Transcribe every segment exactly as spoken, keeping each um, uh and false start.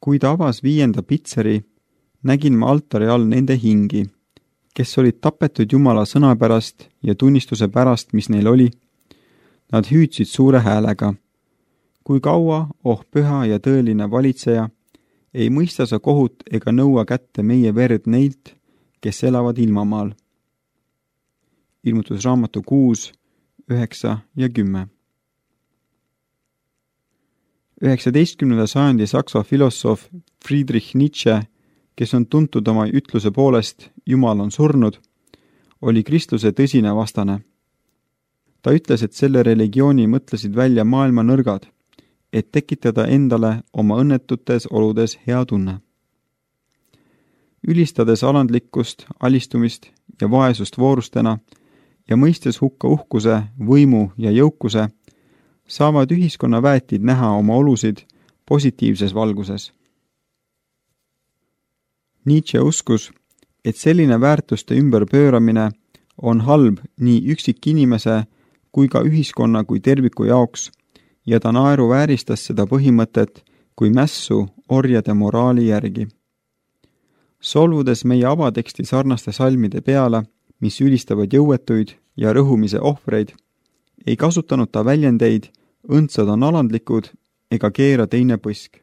Kui ta avas viienda pitseri, nägin ma altari all nende hingi, kes olid tapetud Jumala sõna pärast ja tunnistuse pärast, mis neil oli. Nad hüüdsid suure häälega. Kui kaua, oh püha ja tõeline valitseja, ei mõista sa kohut ega nõua kätte meie verd neilt, kes elavad ilmamaal. Ilmutusraamatu kuus, üheksa ja kümme. üheksateistkümnenda sajandi saksa filosoof Friedrich Nietzsche, kes on tuntud oma ütluse poolest Jumal on surnud, oli kristluse tõsine vastane. Ta ütles, et selle religiooni mõtlesid välja maailma nõrgad, et tekitada endale oma õnnetutes oludes hea tunne. Ülistades alandlikkust, alistumist ja vaesust voorustena ja mõistes hukka uhkuse, võimu ja jõukuse, saavad ühiskonna väetid näha oma olusid positiivses valguses. Nietzsche uskus, et selline väärtuste ümberpööramine on halb nii üksikinimese kui ka ühiskonna kui terviku jaoks ja ta naeruvääristas seda põhimõtet kui mässu orjade moraali järgi. Solvudes meie avateksti sarnaste salmide peale, mis ülistavad jõuetuid ja rõhumise ohvreid, ei kasutanud ta väljendeid õndsad on alandlikud ega keera teine põsk.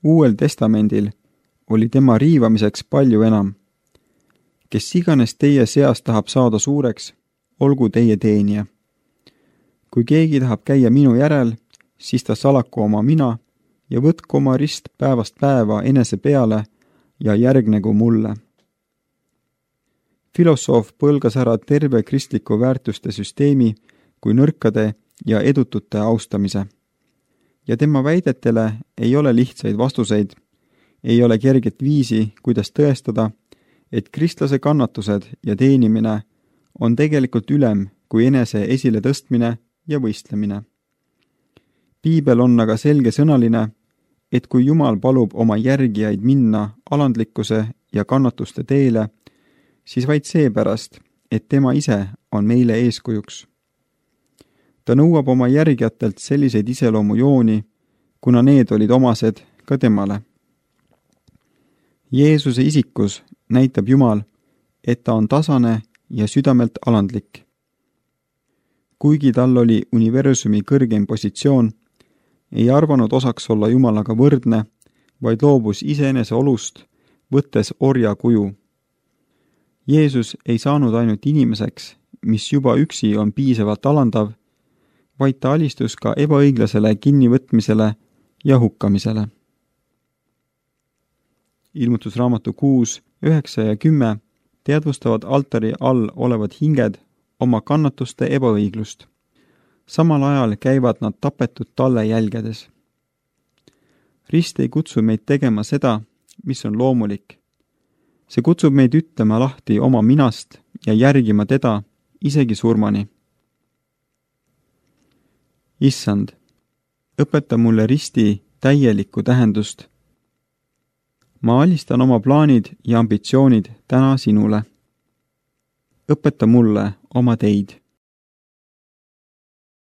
Uuel testamendil oli tema riivamiseks palju enam. Kes iganes teie seas tahab saada suureks, olgu teie teenija. Kui keegi tahab käia minu järel, siis ta salaku oma mina ja võtku oma rist päevast päeva enese peale ja järgnegu mulle. Filosoof põlgas ära terve kristliku väärtuste süsteemi kui nõrkade ja edutute austamise. Ja tema väidetele ei ole lihtsaid vastuseid, ei ole kerget viisi, kuidas tõestada, et kristlase kannatused ja teenimine on tegelikult ülem kui enese esile tõstmine ja võistlemine. Piibel on aga selgesõnaline, et kui Jumal palub oma järgijaid minna alandlikkuse ja kannatuste teele, siis vaid seepärast, et tema ise on meile eeskujuks. Ta nõuab oma järgijatelt selliseid iseloomujooni, kuna need olid omased ka temale. Jeesuse isikus näitab Jumal, et ta on tasane ja südamelt alandlik. Kuigi tal oli universumi kõrgeim positsioon, ei arvanud osaks olla Jumalaga võrdne, vaid loobus iseenese olust, võttes orja kuju. Jeesus ei saanud ainult inimeseks, mis juba üksi on piisavalt alandav, vaid ta alistus ka ebaõiglasele kinnivõtmisele ja hukkamisele. Ilmutusraamatu kuus, üheksa ja kümme teadvustavad altari all olevad hinged oma kannatuste ebaõiglust. Samal ajal käivad nad tapetud talle jälgedes. Rist ei kutsu meid tegema seda, mis on loomulik. See kutsub meid ütlema lahti oma minast ja järgima teda isegi surmani. Issand, õpeta mulle risti täielikku tähendust. Ma alistan oma plaanid ja ambitsioonid täna sinule. Õpeta mulle oma teid.